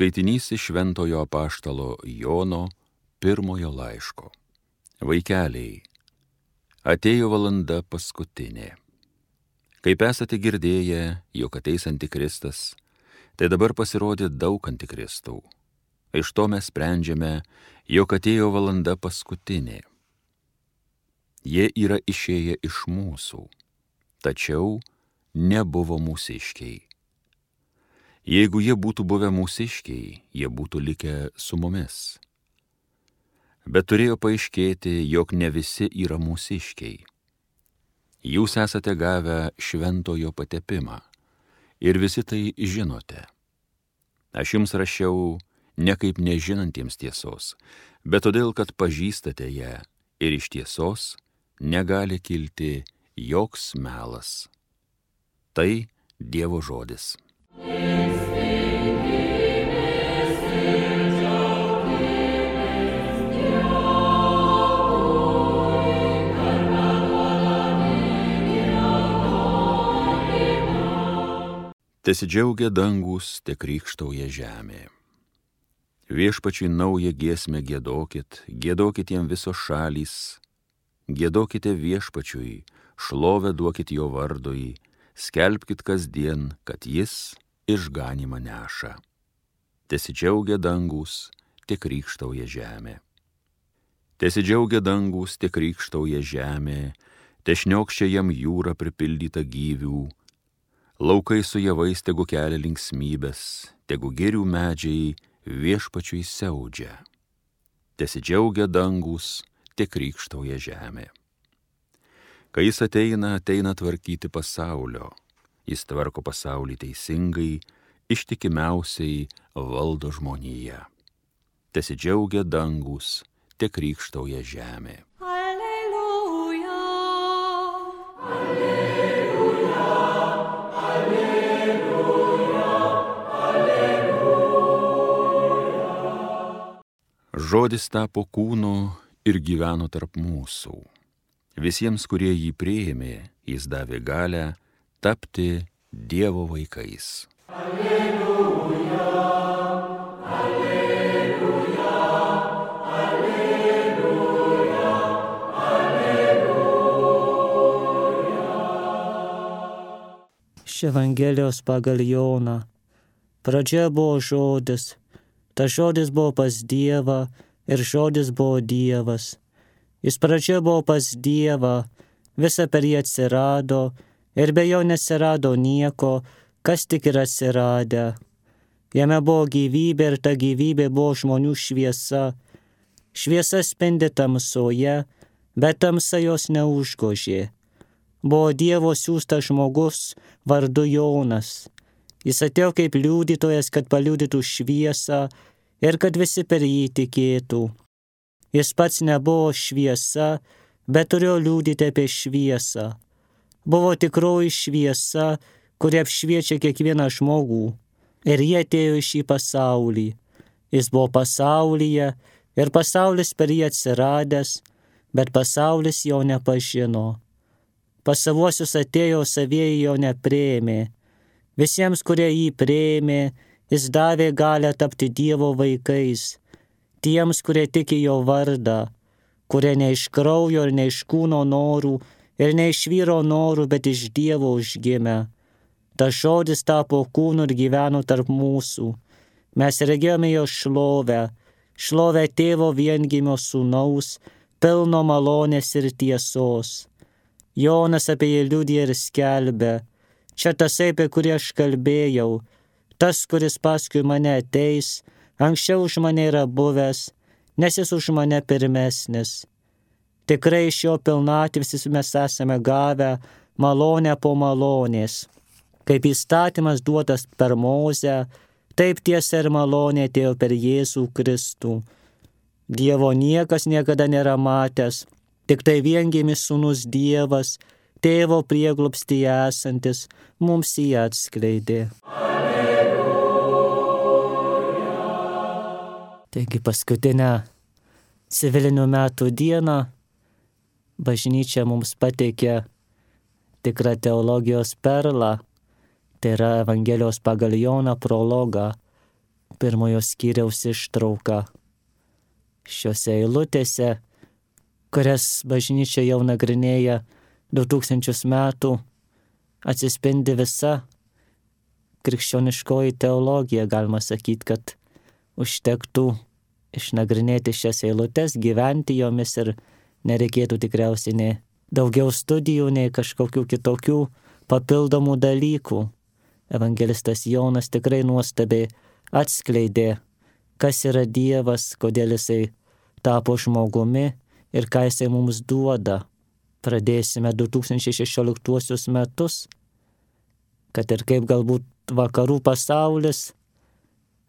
Skaitinys iš Šventojo apaštalo Jono pirmojo laiško. Vaikeliai, atėjo valanda paskutinė. Kaip esate girdėję, jog ateis antikristas, tai dabar pasirodė daug antikristų. Iš to mes sprendžiame, jog atėjo valanda paskutinė. Jie yra išėję iš mūsų, tačiau nebuvo mūsiškiai. Jeigu jie būtų buvę mūsiškiai, jie būtų likę su mumis. Bet turėjo paaiškėti, jog ne visi yra mūsiškiai. Jūs esate gavę šventojo patepimą ir visi tai žinote. Aš jums rašiau ne kaip nežinantiems tiesos, bet todėl, kad pažįstate ją ir iš tiesos negali kilti joks melas. Tai Dievo žodis. Tesidžiaugia dangus, te krykštauja žemė. Viešpačiui naują giesmę giedokit, giedokit jam visos šalys, giedokite viešpačiui, šlovę duokit jo vardui, skelbkit kasdien, kad jis išganymą neša. Tesidžiaugia dangus, te krykštauja žemė. Tesidžiaugia dangus, te krykštauja žemė, te šniokščia jam jūra pripildyta gyvių, laukai su javais tegu kelia linksmybės, tegu girių medžiai viešpačiui siaudžia. Tesidžiaugia dangus, te krykštauja žemė. Kai jis ateina tvarkyti pasaulio, jis tvarko pasaulį teisingai, ištikimiausiai valdo žmoniją. Tesidžiaugia dangus, te krykštauja žemė. Alleluja, alleluja, alleluja, alleluja. Žodis tapo kūnu ir gyveno tarp mūsų. Visiems, kurie jį priėmė, jis davė galią tapti Dievo vaikais. Alleluja, alleluja, alleluja, alleluja. Iš Evangelijos pagal Joną. Pradžioje buvo žodis, tas žodis buvo pas Dievą ir žodis buvo Dievas. Jis pradžioje buvo pas Dievą, visa per jį atsirado ir be jo neatsirado nieko, kas tik yra atsiradę. Jame buvo gyvybė ir ta gyvybė buvo žmonių šviesa. Šviesa spindi tamsoje, bet tamsa jos neužgožė. Buvo Dievo siųstas žmogus vardu Jonas. Jis atėjo kaip liudytojas, kad paliudytų šviesą ir kad visi per jį tikėtų. Jis pats nebuvo šviesa, bet turėjo liudyti apie šviesą. Buvo tikroji šviesa, kuri apšviečia kiekvieną žmogų. Ir jie atėjo į šį pasaulį. Jis buvo pasaulyje ir pasaulis per jį atsiradęs, bet pasaulis jo nepažino. Pas savuosius atėjo, savieji jo nepriėmė. Visiems, kurie jį priėmė, jis davė galią tapti Dievo vaikais. Tiems, kurie tiki jo vardą, kurie ne iš kraujo ir ne iš kūno norų ir ne iš vyro norų, bet iš Dievo užgimę. Tas žodis tapo kūnu ir gyveno tarp mūsų. Mes regėjome jo šlovę, šlovę tėvo viengimio sūnaus, pilno malonės ir tiesos. Jonas apie jį liudija ir skelbia. Čia tasai, apie kurį aš kalbėjau, tas, kuris paskui mane ateis, anksčiau už mane yra buvęs, nes jis už mane pirmesnis. Tikrai iš jo pilnatvės mes esame gavę malonę po malonės. Kaip įstatymas duotas per Mozę, taip tiesa ir malonė atėjo per Jėzų Kristų. Dievo niekas niekada nėra matęs, tik tai viengimis sūnus Dievas, tėvo prieglobstyje esantis, mums jį atskleidė. Taigi paskutinę civilinių metų dieną bažnyčia mums pateikė tikrą teologijos perlą, tai yra Evangelijos pagal Joną prologą, pirmojo skyriaus ištrauką. Šiuose eilutėse, kurias bažnyčia jau nagrinėja 2000 metų, atsispindi visa krikščioniškoji teologija. Galima sakyti, kad užtektų išnagrinėti šias eilutes, gyventi jomis ir nereikėtų tikriausiai nei daugiau studijų, nei kažkokių kitokių papildomų dalykų. Evangelistas Jonas tikrai nuostabiai atskleidė, kas yra Dievas, kodėl jisai tapo žmogumi ir ką jisai mums duoda. Pradėsime 2016 metus, kad ir kaip galbūt vakarų pasaulis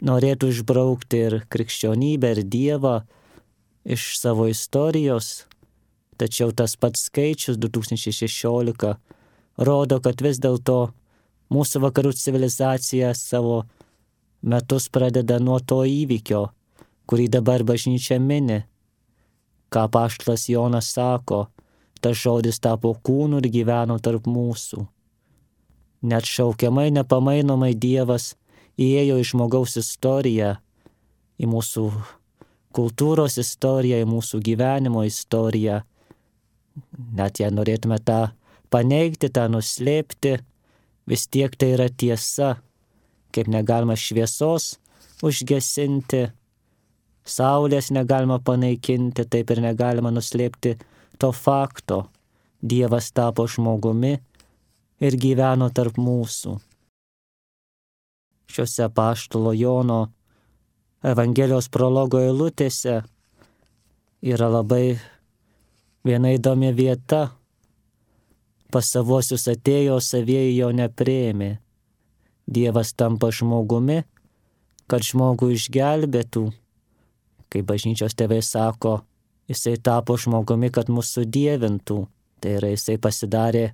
norėtų išbraukti ir krikščionybę, ir Dievą iš savo istorijos, tačiau tas pats skaičius 2016 rodo, kad vis dėlto mūsų vakarų civilizacija savo metus pradeda nuo to įvykio, kurį dabar bažnyčia mini. Ką apaštalas Jonas sako, tas žodis tapo kūnu ir gyveno tarp mūsų. Neatšaukiamai, nepamainomai Dievas įėjo į žmogaus istoriją, į mūsų kultūros istoriją, į mūsų gyvenimo istoriją. Net jei norėtume tą paneigti, tą nuslėpti, vis tiek tai yra tiesa. Kaip negalima šviesos užgesinti, saulės negalima panaikinti, taip ir negalima nuslėpti to fakto. Dievas tapo žmogumi ir gyveno tarp mūsų. Šiuose apaštalo Jono Evangelijos prologo eilutėse yra labai viena įdomi vieta. Pas savuosius atėjo, savieji jo nepriėmė. Dievas tampa žmogumi, kad žmogų išgelbėtų. Kaip bažnyčios tėvai sako, jisai tapo žmogumi, kad mus sudievintų. Tai yra, jisai pasidarė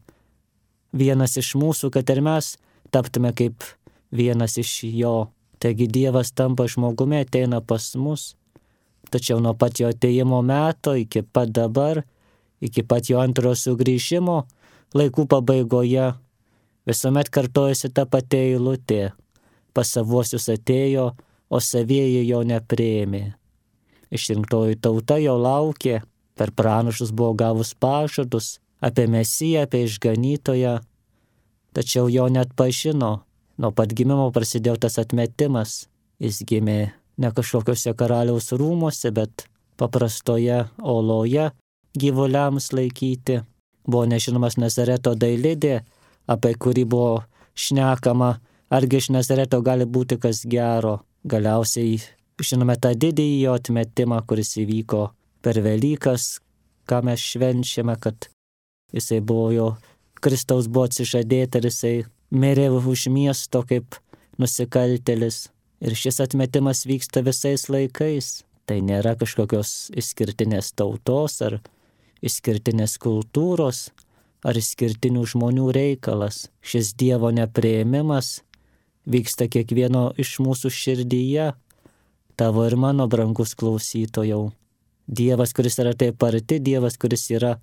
vienas iš mūsų, kad ir mes taptume kaip vienas iš jo. Taigi Dievas tampa žmogumi, ateina pas mus. Tačiau nuo pat jo atėjimo meto iki pat dabar, iki pat jo antrojo sugrįžimo, laikų pabaigoje, visuomet kartojasi ta pati eilutė. Pas savuosius atėjo, o savieji jo nepriėmė. Išrinktoji tauta jo laukė, per pranašus buvo gavus pažadus apie Mesiją, apie išganytoją, tačiau jo neatpažino. Nuo pat gimimo prasidėjo tas atmetimas. Jis gimė ne kažkokiuose karaliaus rūmuose, bet paprastoje oloje gyvuliams laikyti. Buvo nežinomas Nazareto dailidė, apie kurį buvo šnekama, argi iš Nazareto gali būti kas gero. Galiausiai žinome tą didįjį jo atmetimą, kuris įvyko per Velykas, ką mes švenčiame, kad jisai buvo jo, Kristaus buvo atsižadėta ir jisai mirė už miesto kaip nusikaltėlis. Ir šis atmetimas vyksta visais laikais. Tai nėra kažkokios išskirtinės tautos ar išskirtinės kultūros ar išskirtinių žmonių reikalas. Šis Dievo nepriėmimas vyksta kiekvieno iš mūsų širdyje, tavo ir mano brangus klausytojau. Dievas, kuris yra taip arti, Dievas, kuris yra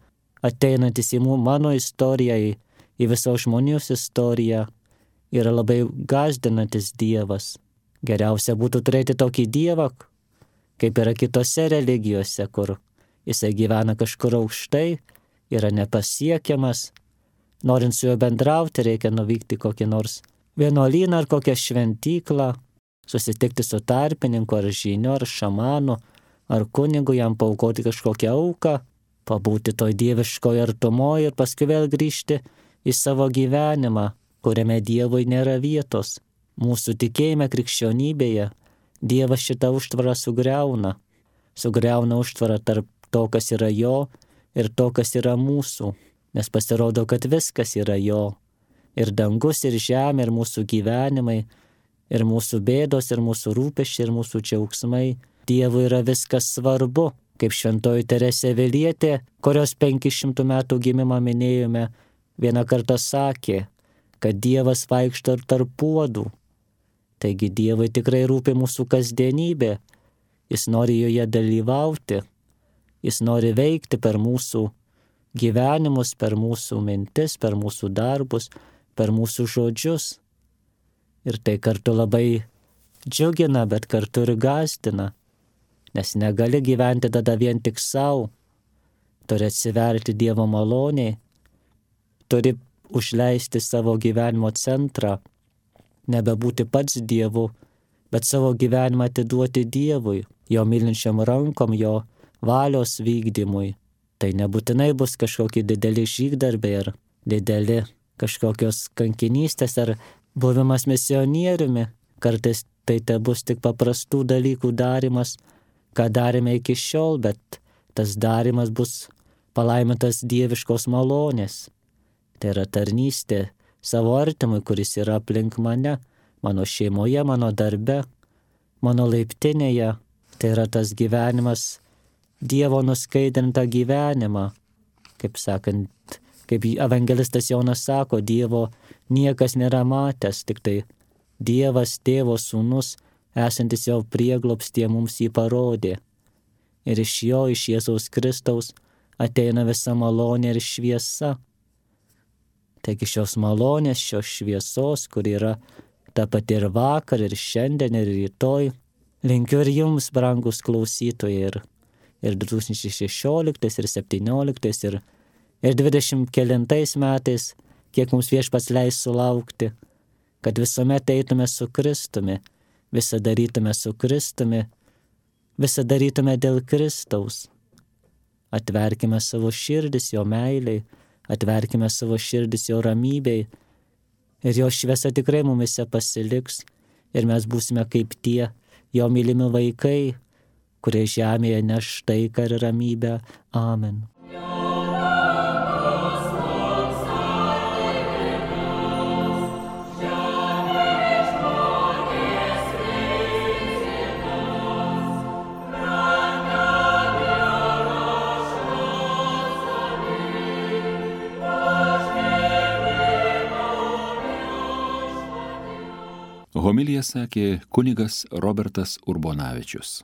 ateinantis į mano istoriją, į visos žmonijos istoriją, yra labai gąsdinantis Dievas. Geriausia būtų turėti tokį Dievą, kaip yra kitose religijose, kur jisai gyvena kažkur aukštai, yra nepasiekiamas. Norint su juo bendrauti, reikia nuvykti kokį nors vienuolyną ar kokią šventyklą, susitikti su tarpininku ar žyniu ar šamanu, ar kunigu, jam paaukoti kažkokią auką, pabūti toj dieviškoje artumoje ir paskui vėl grįžti į savo gyvenimą, kuriame Dievui nėra vietos. Mūsų tikėjime krikščionybėje Dievas šitą užtvarą sugriauna. Sugriauna užtvarą tarp to, kas yra jo ir to, kas yra mūsų. Nes pasirodo, kad viskas yra jo. Ir dangus, ir žemė, ir mūsų gyvenimai, ir mūsų bėdos, ir mūsų rūpesčiai, ir mūsų džiaugsmai. Dievui yra viskas svarbu. Kaip šventoji Teresė Avilietė, kurios 500 metų gimimą minėjome, vieną kartą sakė, kad Dievas vaikšto ir tarp puodų. Taigi Dievui tikrai rūpi mūsų kasdienybė. Jis nori joje dalyvauti. Jis nori veikti per mūsų gyvenimus, per mūsų mintis, per mūsų darbus, per mūsų žodžius. Ir tai kartu labai džiugina, bet kartu ir gąsdina, nes negali gyventi tada vien tik savo, turi atsiverti Dievo maloniai, turi užleisti savo gyvenimo centrą, nebebūti pats Dievu, bet savo gyvenimą atiduoti Dievui, jo mylinčiam rankom, jo valios vykdymui. Tai nebūtinai bus kažkokie dideli žygdarbiai ar dideli kažkokios kankinystės ar buvimas misionieriumi. Kartais tai bus tik paprastų dalykų darimas, ką darėme iki šiol, bet tas darimas bus palaimintas dieviškos malonės. Tai yra tarnystė savo artimui, kuris yra aplink mane, mano šeimoje, mano darbe, mano laiptinėje. Tai yra tas gyvenimas, Dievo nuskaidrintą gyvenimą. Kaip sakant, kaip evangelistas Jonas sako, Dievo niekas nėra matęs, tik tai Dievas, Tėvo Sūnus, esantis jau prieglobstyje mums jį parodė. Ir iš jo, iš Jėzaus Kristaus, ateina visa malonė ir šviesa. Taigi šios malonės, šios šviesos, kur yra ta pati ir vakar, ir šiandien, ir rytoj, linkiu ir jums, brangus klausytojai, ir 2016, ir 2017, ir 20 kelintais metais, kiek mums Viešpats leis sulaukti, kad visuomet eitume su Kristumi, visą darytume su Kristumi, visą darytume dėl Kristaus. Atverkime savo širdis jo meiliai, atverkime savo širdis jo ramybei, ir jo šviesa tikrai mumise pasiliks, ir mes būsime kaip tie jo mylimi vaikai, kurie žemėje neš taiką ir ramybę. Amen. Homiliją sakė kunigas Robertas Urbonavičius.